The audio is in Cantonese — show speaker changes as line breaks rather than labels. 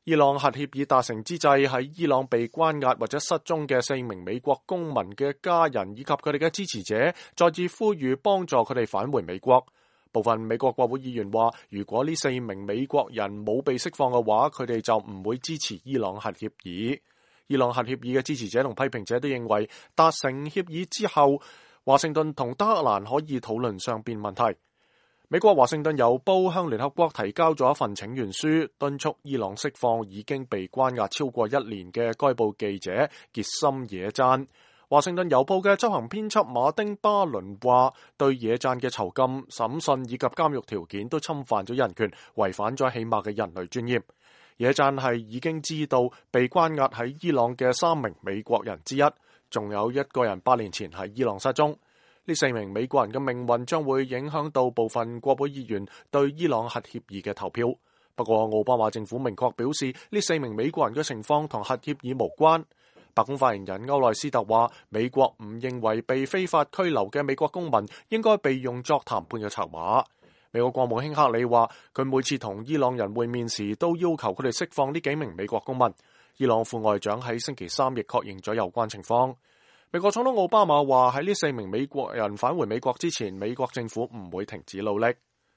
伊朗核協議達成之際，喺伊朗被關押或者失蹤嘅4名美國公民嘅家人以及佢哋嘅支持者，再次呼籲幫助佢哋返回美國。部分美國國會議員話，如果呢4名美國人冇被釋放嘅話，佢哋就唔會支持伊朗核協議。伊朗核協議嘅支持者同批評者都認為，達成協議之後，華盛頓同德黑蘭可以討論雙邊問題。美國華盛頓郵報向聯合國提交咗一份請願書，敦促伊朗釋放已經被關押超過1年嘅該報記者傑森野贊。華盛頓郵報嘅執行編輯馬丁巴倫話，對野贊嘅囚禁、審訊以及監獄條件都侵犯咗人權，違反咗起碼嘅人類尊嚴。野贊係已經知道被關押喺伊朗嘅3名美國人之一，仲有一個人8年前喺伊朗失蹤。呢4名美國人嘅命運將會影響到部分國會議員對伊朗核協議嘅投票。不過奧巴馬政府明確表示，呢4名美國人嘅情況同核協議無關。白宮發言人歐內斯特話，美國唔認為被非法拘留嘅美國公民應該被用作談判嘅籌碼。美國國務卿克里話，佢每次同伊朗人會面時都要求佢哋釋放呢幾名美國公民。伊朗副外長喺星期3亦確認咗有關情況。美國總統奧巴馬話，喺呢4名美國人返回美國之前，美國政府唔會停止努力。